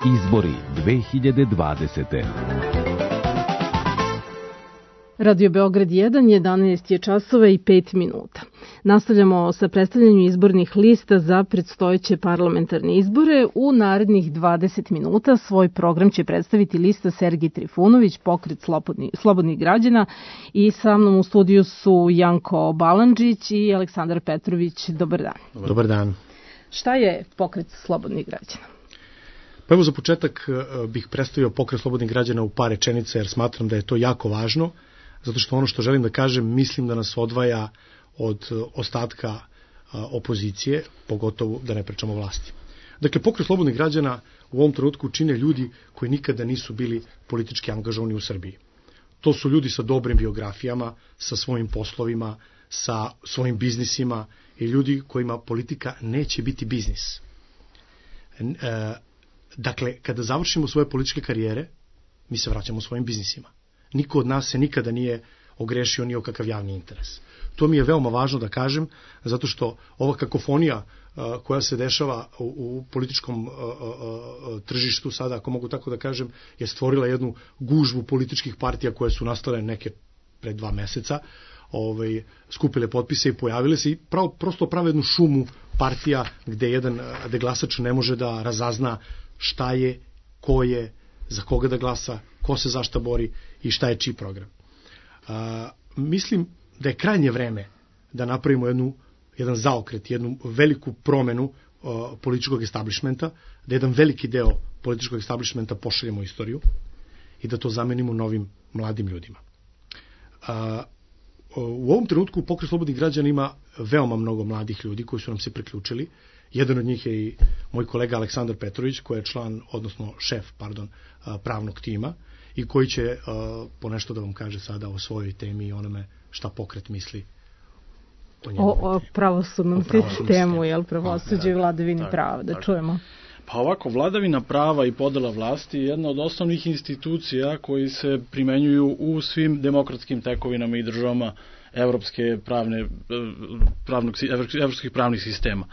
Izbori 2020. Radio Beograd 1, 11 je časova i 5 minuta. Nastavljamo sa predstavljanjem izbornih lista za predstojeće parlamentarne izbore. U narednih 20 minuta svoj program će predstaviti lista Sergej Trifunović, Pokret slobodnih građana, i sa mnom u studiju su Janko Balandžić i Aleksandar Petrović. Dobar dan. Dobar dan. Šta je Pokret slobodnih građana? Pa evo, za početak bih predstavio Pokret slobodnih građana u par rečenica, jer smatram da je to jako važno, zato što ono što želim da kažem mislim da nas odvaja od ostatka opozicije, pogotovo da ne pričamo vlasti. Dakle, Pokret slobodnih građana u ovom trenutku čine ljudi koji nikada nisu bili politički angažovani u Srbiji. To su ljudi sa dobrim biografijama, sa svojim poslovima, sa svojim biznisima i ljudi kojima politika neće biti biznis. Dakle, kada završimo svoje političke karijere, mi se vraćamo svojim biznisima. Niko od nas se nikada nije ogrešio ni o kakav javni interes. To mi je veoma važno da kažem, zato što ova kakofonija koja se dešava u političkom tržištu sada, ako mogu tako da kažem, je stvorila jednu gužvu političkih partija koje su nastale neke pred 2 meseca, skupile potpise i pojavile se i prosto prave jednu šumu partija gde glasač ne može da razazna šta je, ko je, za koga da glasa, ko se za šta bori i šta je čiji program. Mislim da je krajnje vreme da napravimo jedan zaokret, jednu veliku promenu političkog establishmenta, da jedan veliki deo političkog establishmenta pošaljemo u istoriju i da to zamenimo novim mladim ljudima. U ovom trenutku Pokret slobodnih građana ima veoma mnogo mladih ljudi koji su nam se priključili. Jedan od njih je i moj kolega Aleksandar Petrović, koji je šef pravnog tima i koji će ponešto da vam kaže sada o svojoj temi i onome šta Pokret misli o njemu. O pravosudnom sistemu, jel, pravosuđe i vladavini prava, da čujemo. Pa ovako, vladavina prava i podela vlasti je jedna od osnovnih institucija koji se primenjuju u svim demokratskim tekovinama i državama evropskih pravnih sistema.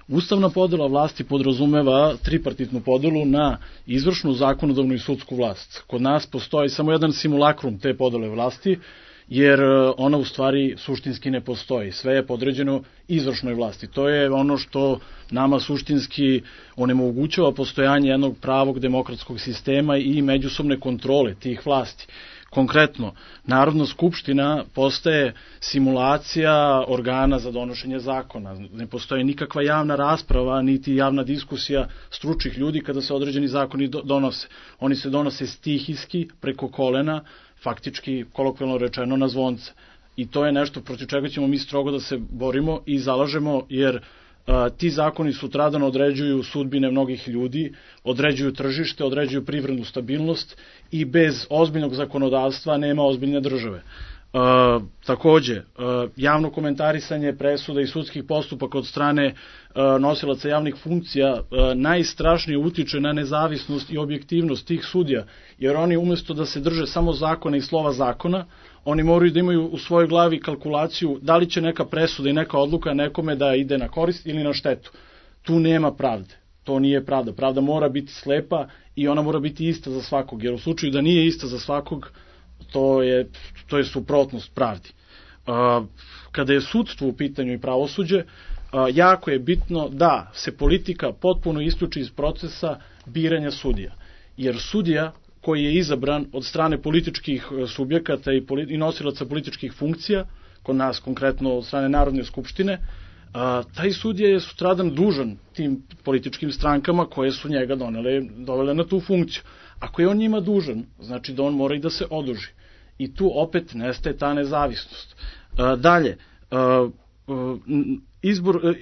Ustavna podela vlasti podrazumeva tripartitnu podelu na izvršnu, zakonodavnu i sudsku vlast. Kod nas postoji samo jedan simulakrum te podele vlasti, jer ona u stvari suštinski ne postoji. Sve je podređeno izvršnoj vlasti. To je ono što nama suštinski onemogućava postojanje jednog pravog demokratskog sistema i međusobne kontrole tih vlasti. Konkretno, Narodna skupština postaje simulacija organa za donošenje zakona. Ne postoji nikakva javna rasprava, niti javna diskusija stručnih ljudi kada se određeni zakoni donose. Oni se donose stihijski, preko kolena, faktički, kolokvijalno rečeno, na zvonce. I to je nešto protiv čega ćemo mi strogo da se borimo i zalažemo, jer ti zakoni sutradan određuju sudbine mnogih ljudi, određuju tržište, određuju privrednu stabilnost i bez ozbiljnog zakonodavstva nema ozbiljne države. Takođe, javno komentarisanje presuda i sudskih postupaka od strane nosilaca javnih funkcija najstrašnije utiče na nezavisnost i objektivnost tih sudija, jer oni umesto da se drže samo zakona i slova zakona, oni moraju da imaju u svojoj glavi kalkulaciju da li će neka presuda i neka odluka nekome da ide na korist ili na štetu. Tu nema pravde. To nije pravda. Pravda mora biti slepa i ona mora biti ista za svakog, jer u slučaju da nije ista za svakog, to je suprotnost pravdi. Kada je sudstvo u pitanju i pravosuđe, jako je bitno da se politika potpuno isključi iz procesa biranja sudija. Jer sudija koji je izabran od strane političkih subjekata i nosilaca političkih funkcija, kod nas konkretno od strane Narodne skupštine, taj sudija je sutradan dužan tim političkim strankama koje su njega dovele na tu funkciju. Ako je on njima dužan, znači da on mora i da se oduži. I tu opet nestaje ta nezavisnost. Dalje,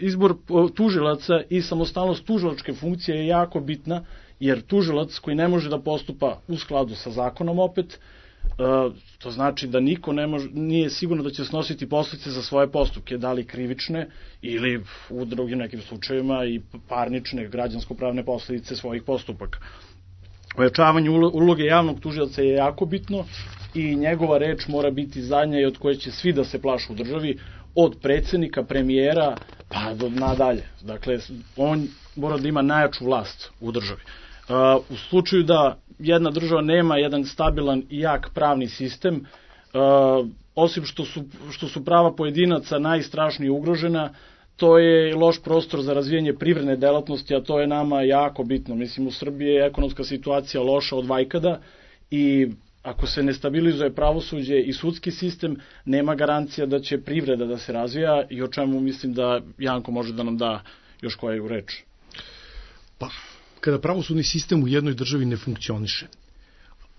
izbor tužilaca i samostalnost tužilačke funkcije je jako bitna, jer tužilac koji ne može da postupa u skladu sa zakonom opet, to znači da niko nije sigurno da će snositi posljedice za svoje postupke, da li krivične ili u drugim nekim slučajevima i parnične, građansko-pravne posljedice svojih postupaka. Ojačavanje uloge javnog tužioca je jako bitno i njegova reč mora biti zadnja i od koje će svi da se plašu u državi, od predsjednika, premijera pa do nadalje. Dakle, on mora da ima najjaču vlast u državi. U slučaju da jedna država nema jedan stabilan i jak pravni sistem, osim što su prava pojedinaca najstrašnije ugrožena, to je loš prostor za razvijanje privredne delatnosti, a to je nama jako bitno. Mislim, u Srbiji je ekonomska situacija loša od vajkada i ako se ne stabilizuje pravosuđe i sudski sistem, nema garancija da će privreda da se razvija i o čemu mislim da Janko može da nam da još koju reč. Pa, kada pravosudni sistem u jednoj državi ne funkcioniše,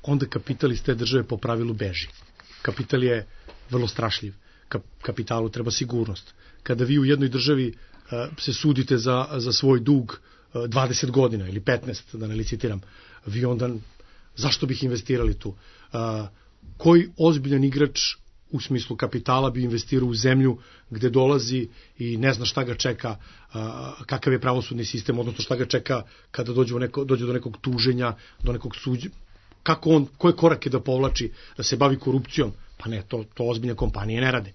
onda kapital iz te države po pravilu beži. Kapital je vrlo strašljiv. Kapitalu treba sigurnost. Kada vi u jednoj državi se sudite za svoj dug 20 godina ili 15, da ne licitiram, vi onda, zašto bih investirali tu? Koji ozbiljan igrač u smislu kapitala bi investirao u zemlju gde dolazi i ne zna šta ga čeka, kakav je pravosudni sistem, odnosno šta ga čeka kada dođe do nekog tuženja, do nekog suđenja, koje korake da povlači, da se bavi korupcijom? Pa ne, to ozbiljne kompanije ne rade.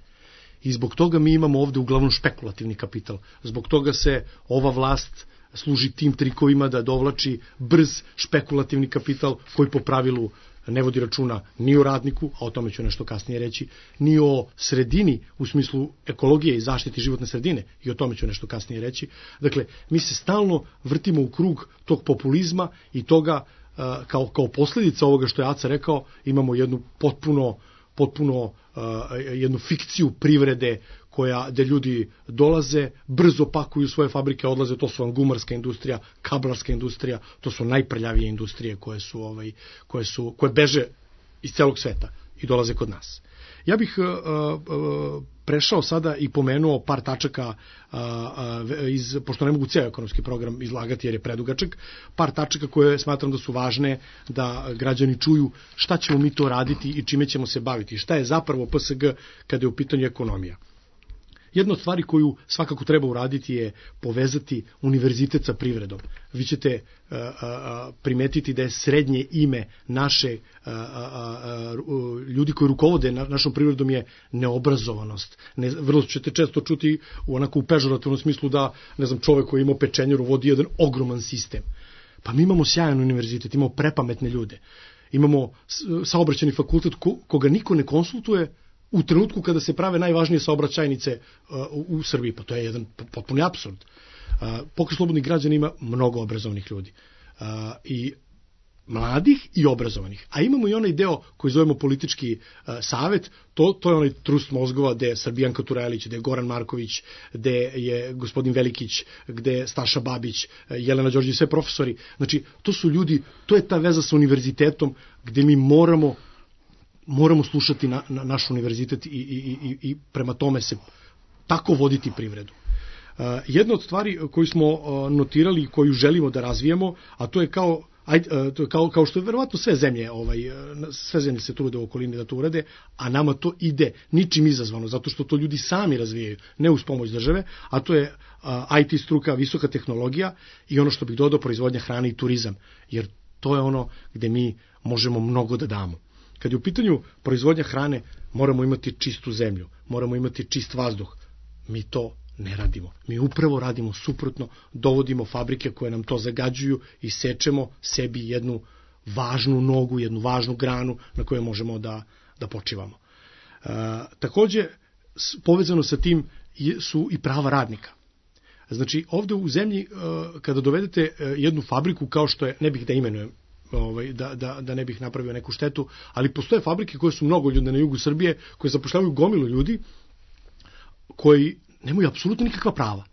I zbog toga mi imamo ovde uglavnom špekulativni kapital. Zbog toga se ova vlast služi tim trikovima da dovlači brz špekulativni kapital koji po pravilu ne vodi računa ni o radniku, a o tome ću nešto kasnije reći, ni o sredini u smislu ekologije i zaštiti životne sredine, i o tome ću nešto kasnije reći. Dakle, mi se stalno vrtimo u krug tog populizma i toga kao posljedica ovoga što je Aca rekao, imamo jednu potpuno jednu fikciju privrede gde ljudi dolaze, brzo pakuju svoje fabrike, odlaze, to su vam gumarska industrija, kablarska industrija, to su najprljavije industrije koje beže iz celog sveta i dolaze kod nas. Ja bih prešao sada i pomenuo par tačaka, pošto ne mogu ceo ekonomski program izlagati jer je predugačak, par tačaka koje smatram da su važne da građani čuju šta ćemo mi to raditi i čime ćemo se baviti, šta je zapravo PSG kada je u pitanju ekonomija. Jedna od stvari koju svakako treba uraditi je povezati univerzitet sa privredom. Vi ćete primetiti da je srednje ime naše ljudi koji rukovode našom privredom je neobrazovanost. Vrlo ćete često čuti u pežorativnom smislu da, ne znam, čovek koji ima pečenjeru vodi jedan ogroman sistem. Pa mi imamo sjajan univerzitet, imamo prepametne ljude, imamo saobraćajni fakultet koga niko ne konsultuje u trenutku kada se prave najvažnije saobraćajnice u Srbiji, pa to je jedan potpuni apsurd. Pokret slobodnih građana ima mnogo obrazovanih ljudi, i mladih i obrazovanih, a imamo i onaj deo koji zovemo politički savet, to je onaj trust mozgova gde je Srbijanka Turajlić, gde je Goran Marković, gde je gospodin Velikić, gde je Staša Babić, Jelena Đorđević, sve profesori. Znači, to su ljudi, to je ta veza sa univerzitetom gde mi moramo slušati na naš univerzitet i prema tome se tako voditi privredu. Jedna od stvari koju smo notirali i koju želimo da razvijemo, a to je kao što je verovatno sve zemlje se trude u okolini da to urade, a nama to ide ničim izazvano, zato što to ljudi sami razvijaju, ne uz pomoć države, a to je IT struka, visoka tehnologija i ono što bih dodao, proizvodnja hrane i turizam, jer to je ono gde mi možemo mnogo da damo. Kad je u pitanju proizvodnja hrane, moramo imati čistu zemlju, moramo imati čist vazduh. Mi to ne radimo. Mi upravo radimo suprotno, dovodimo fabrike koje nam to zagađuju i sečemo sebi jednu važnu nogu, jednu važnu granu na kojoj možemo da počivamo. Takođe, povezano sa tim su i prava radnika. Znači, ovde u zemlji, kada dovedete jednu fabriku kao što je, ne bih da imenujem, da ne bih napravio neku štetu, ali postoje fabrike koje su mnogo ljudi na jugu Srbije, koje zapošljavaju gomilu ljudi koji nemaju apsolutno nikakva prava.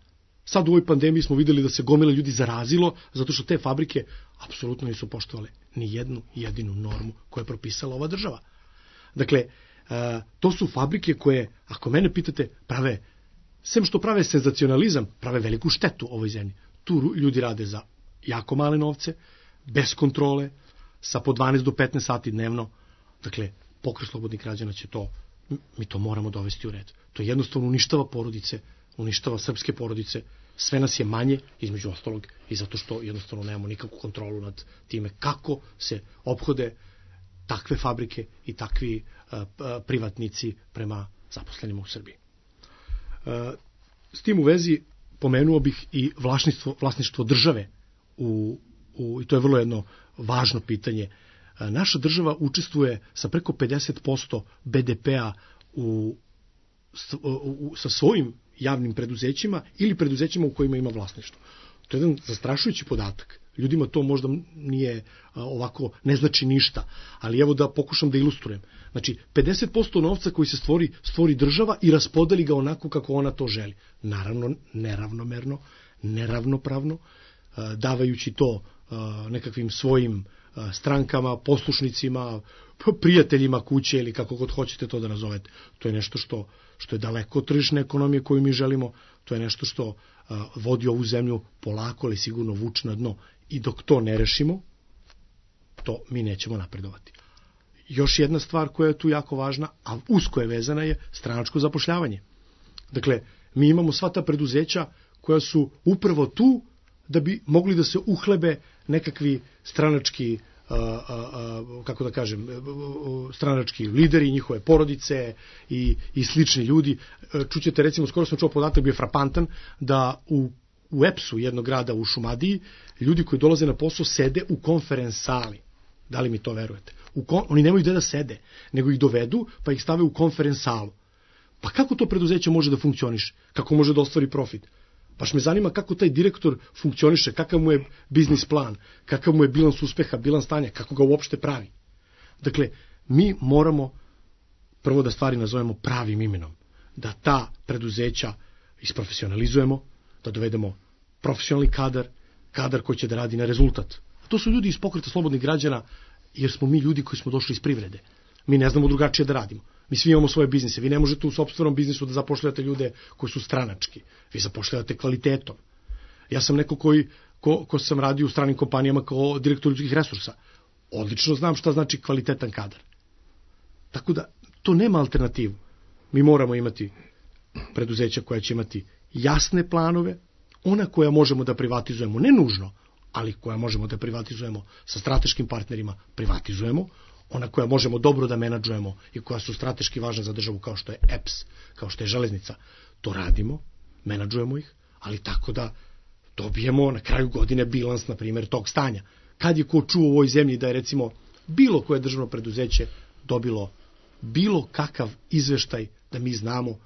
Sad u ovoj pandemiji smo videli da se gomila ljudi zarazilo, zato što te fabrike apsolutno nisu poštovale ni jednu jedinu normu koju je propisala ova država. Dakle, to su fabrike koje, ako mene pitate, sem što prave senzacionalizam, prave veliku štetu ovoj zemlji. Tu ljudi rade za jako male novce, bez kontrole, sa po 12 do 15 sati dnevno. Dakle, Pokret slobodnih građana će mi to moramo dovesti u red. To jednostavno uništava porodice, uništava srpske porodice, sve nas je manje, između ostalog, i zato što jednostavno nemamo nikakvu kontrolu nad time kako se ophode takve fabrike i takvi privatnici prema zaposlenima u Srbiji. S tim u vezi pomenuo bih i vlasništvo države u i to je vrlo jedno važno pitanje, naša država učestvuje sa preko 50% BDP-a sa svojim javnim preduzećima ili preduzećima u kojima ima vlasništvo. To je jedan zastrašujući podatak. Ljudima to možda nije ovako, ne znači ništa, ali evo da pokušam da ilustrujem. Znači, 50% novca koji se stvori država i raspodeli ga onako kako ona to želi. Naravno, neravnomerno, neravnopravno, davajući to nekakvim svojim strankama, poslušnicima, prijateljima kuće ili kako god hoćete to da nazovete. To je nešto što je daleko od tržišne ekonomije koju mi želimo, to je nešto što vodi ovu zemlju polako, ali sigurno vuče na dno. I dok to ne rešimo, to mi nećemo napredovati. Još jedna stvar koja je tu jako važna, a usko je vezana, je stranačko zapošljavanje. Dakle, mi imamo sva ta preduzeća koja su upravo tu da bi mogli da se uhlebe nekakvi stranački, kako da kažem, stranački lideri, njihove porodice i slični ljudi. Čućete, recimo, skoro sam čuo podatak, bio frapantan, da u EPS-u jednog grada u Šumadiji ljudi koji dolaze na posao sede u konferens sali. Da li mi to verujete? Oni nemaju gde da sede, nego ih dovedu pa ih stave u konferens salu. Pa kako to preduzeće može da funkcioniše? Kako može da ostvari profit? Baš me zanima kako taj direktor funkcioniše, kakav mu je biznis plan, kakav mu je bilans uspeha, bilans stanja, kako ga uopšte pravi. Dakle, mi moramo prvo da stvari nazovemo pravim imenom, da ta preduzeća isprofesionalizujemo, da dovedemo profesionalni kadar koji će da radi na rezultat. To su ljudi iz Pokreta slobodnih građana, jer smo mi ljudi koji smo došli iz privrede. Mi ne znamo drugačije da radimo. Mi svi imamo svoje biznise. Vi ne možete u sopstvenom biznisu da zapošljavate ljude koji su stranački. Vi zapošljavate kvalitetom. Ja sam neko ko sam radio u stranim kompanijama kao direktor ljudskih resursa. Odlično znam šta znači kvalitetan kadar. Tako da, to nema alternativu. Mi moramo imati preduzeća koja će imati jasne planove, ona koja možemo da privatizujemo, ne nužno, ali koja možemo da privatizujemo sa strateškim partnerima, privatizujemo, ona koja možemo dobro da menadžujemo i koja su strateški važna za državu, kao što je EPS, kao što je železnica, to radimo, menadžujemo ih, ali tako da dobijemo na kraju godine bilans, na primjer, tog stanja. Kad je ko čuo u ovoj zemlji da je, recimo, bilo koje državno preduzeće dobilo bilo kakav izveštaj da mi znamo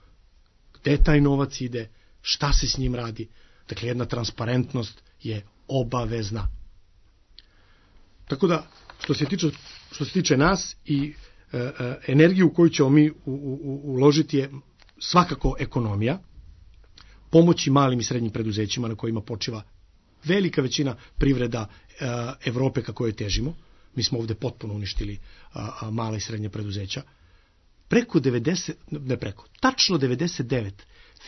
gde taj novac ide, šta se s njim radi. Dakle, jedna transparentnost je obavezna. Tako da, što se tiče nas i energiju koju ćemo mi uložiti je svakako ekonomija, pomoći malim i srednjim preduzećima na kojima počiva velika većina privreda Evrope ka kojoj težimo. Mi smo ovde potpuno uništili mala i srednja preduzeća. Tačno 99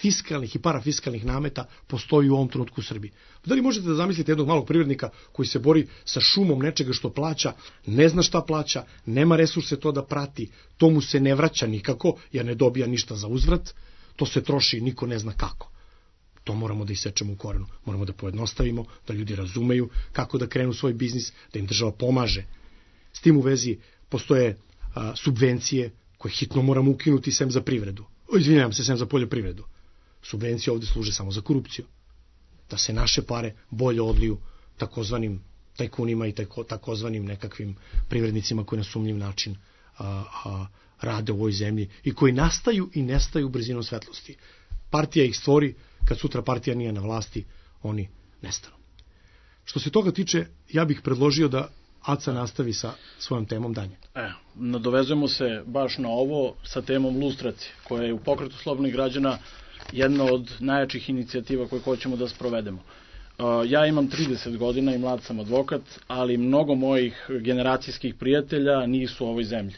fiskalnih i parafiskalnih nameta postoji u ovom trenutku u Srbiji. Da li možete da zamislite jednog malog privrednika koji se bori sa šumom nečega što plaća, ne zna šta plaća, nema resurse to da prati, to mu se ne vraća nikako, jer ne dobija ništa za uzvrat, to se troši, niko ne zna kako. To moramo da isečemo u korenu. Moramo da pojednostavimo, da ljudi razumeju kako da krenu svoj biznis, da im država pomaže. S tim u vezi postoje subvencije koje hitno moramo ukinuti sem za privredu. Sem za poljoprivredu. Subvencije ovde služe samo za korupciju. Da se naše pare bolje odliju takozvanim tajkunima i takozvanim nekakvim privrednicima koji na sumnjiv način rade u ovoj zemlji i koji nastaju i nestaju brzinom svetlosti. Partija ih stvori, kad sutra partija nije na vlasti, oni nestanu. Što se toga tiče, ja bih predložio da Aca nastavi sa svojom temom dalje. Nadovezujemo se baš na ovo sa temom lustracije, koja je u Pokretu slobodnih građana jedna od najjačih inicijativa koje hoćemo da sprovedemo. Ja imam 30 godina i mlad sam advokat, ali mnogo mojih generacijskih prijatelja nisu u ovoj zemlji.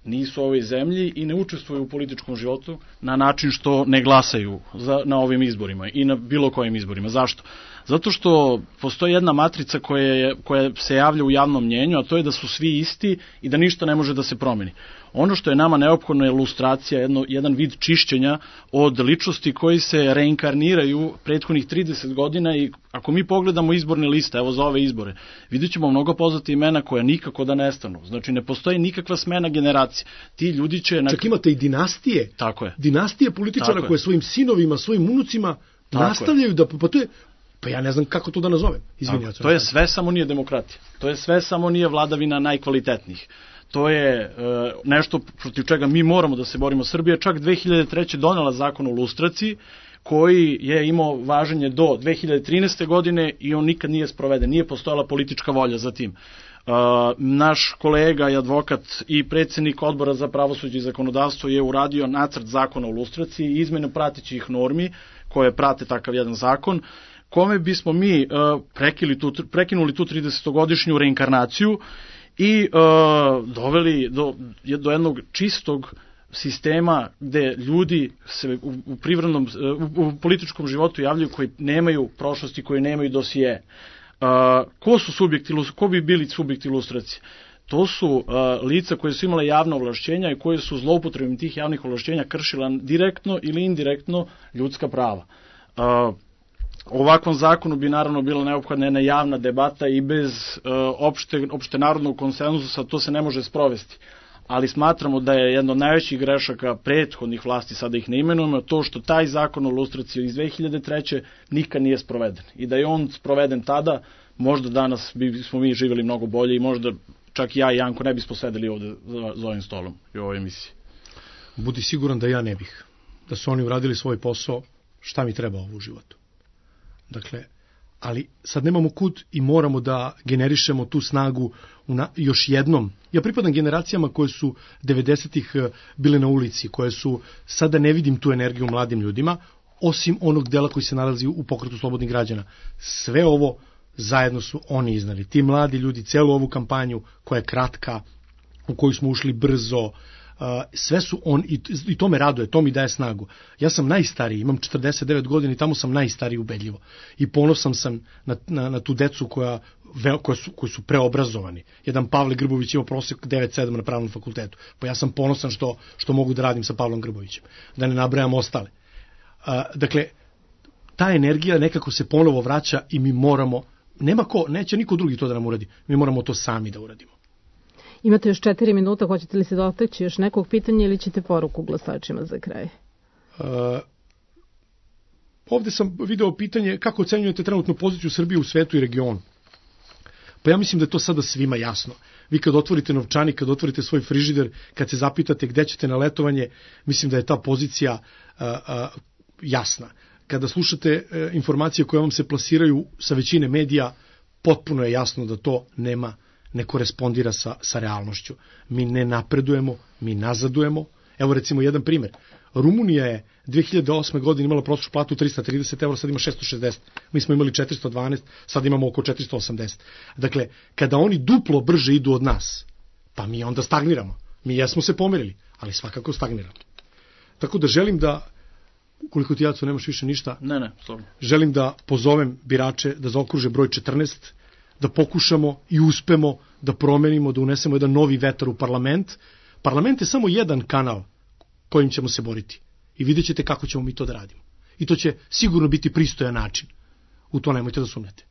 Nisu u ovoj zemlji i ne učestvuju u političkom životu na način što ne glasaju na ovim izborima i na bilo kojim izborima. Zašto? Zato što postoji jedna matrica koja se javlja u javnom mnjenju, a to je da su svi isti i da ništa ne može da se promeni. Ono što je nama neophodno je lustracija, jedan vid čišćenja od ličnosti koji se reinkarniraju prethodnih 30 godina i ako mi pogledamo izborne liste, evo za ove izbore, vidjet ćemo mnogo poznatih imena koja nikako da nestanu. Znači ne postoji nikakva smena generacije. Ti ljudi će... Čak imate i dinastije. Tako je. Dinastije političara koje svojim sinovima, svojim unucima nastavljaju da... Pa Pa ja ne znam kako to da nazovem. Izvinjavam se. To je sve samo nije demokratija. To je sve samo nije vladavina najkvalitetnijih. To je nešto protiv čega mi moramo da se borimo. Srbija čak 2003. donela zakon o lustraciji, koji je imao važenje do 2013. godine i on nikad nije sproveden. Nije postojala politička volja za tim. Naš kolega i advokat i predsjednik odbora za pravosuđe i zakonodavstvo je uradio nacrt zakona o lustraciji i izmenu pratećih normi koje prate takav jedan zakon, kome bismo mi prekinuli tu 30-godišnju reinkarnaciju i doveli do jednog čistog sistema gde ljudi se u političkom životu javljaju koji nemaju prošlosti, koji nemaju dosije. Ko bi bili subjekti lustracije? To su lica koje su imale javna ovlašćenja i koje su zloupotrebom tih javnih ovlašćenja kršila direktno ili indirektno ljudska prava. Ovakvom zakonu bi naravno bila neophodna jedna javna debata i bez opštenarodnog konsenzusa to se ne može sprovesti. Ali smatramo da je jedno od najvećih grešaka prethodnih vlasti, sada ih ne imenujemo, to što taj zakon o lustraciji iz 2003. nikad nije sproveden. I da je on sproveden tada, možda danas bismo mi živjeli mnogo bolje i možda čak ja i Janko ne bismo sedeli ovde za ovim stolom i u ovoj emisiji. Budi siguran da ja ne bih. Da su oni uradili svoj posao, šta mi treba ovo u životu. Dakle, ali sad nemamo kud i moramo da generišemo tu snagu još jednom. Ja pripadam generacijama koje su 90-ih bile na ulici, koje su, sada ne vidim tu energiju u mladim ljudima, osim onog dela koji se nalazi u pokretu slobodnih građana. Sve ovo zajedno su oni iznali. Ti mladi ljudi, celu ovu kampanju koja je kratka, u koju smo ušli brzo, sve su on i to me raduje, to mi daje snagu. Ja sam najstariji, imam 49 godina i tamo sam najstariji ubedljivo. I ponosan sam na tu decu koji su preobrazovani. Jedan Pavle Grbović ima prosek 9,7 na pravnom fakultetu. Pa ja sam ponosan što mogu da radim sa Pavlom Grbovićem. Da ne nabrajam ostale. Dakle, ta energija nekako se ponovo vraća i mi moramo, neće niko drugi to da nam uradi. Mi moramo to sami da uradimo. Imate još 4 minuta, hoćete li se dotaći još nekog pitanja ili ćete poruku glasačima za kraj? Ovde sam video pitanje kako ocenjujete trenutnu poziciju Srbije u svetu i regionu. Pa ja mislim da je to sada svima jasno. Vi kad otvorite novčanik, kad otvorite svoj frižider, kad se zapitate gde ćete na letovanje, mislim da je ta pozicija jasna. Kada slušate informacije koje vam se plasiraju sa većine medija, potpuno je jasno da to ne korespondira sa realnošću. Mi ne napredujemo, mi nazadujemo. Evo recimo jedan primjer. Rumunija je 2008. godine imala prosječnu platu 330 €, sad ima 660. Mi smo imali 412, sad imamo oko 480. Dakle, kada oni duplo brže idu od nas, pa mi onda stagniramo. Mi jesmo se pomerili, ali svakako stagniramo. Tako da želim da, ukoliko ti, Jaco, nemaš više ništa, želim da pozovem birače da zaokruže broj 14, da pokušamo i uspemo da promenimo, da unesemo jedan novi vetar u parlament. Parlament je samo jedan kanal kojim ćemo se boriti. I vidjet ćete kako ćemo mi to da radimo. I to će sigurno biti pristojan način. U to nemojte da sumnjate.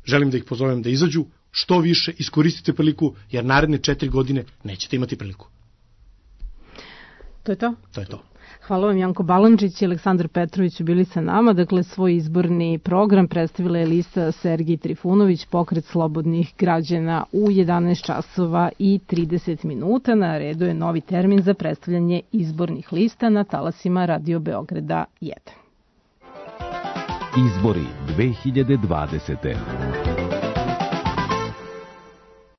Želim da ih pozovem da izađu što više, iskoristite priliku, jer naredne 4 godine nećete imati priliku. To je to? To je to. Hvala vam, Janko Balandžić i Aleksandar Petrović su bili sa nama. Dakle, svoj izborni program predstavila je lista Sergij Trifunović, Pokret slobodnih građana u 11 časova i 30 minuta. Na redu je novi termin za predstavljanje izbornih lista na talasima Radio Beograda 1. Izbori 2020.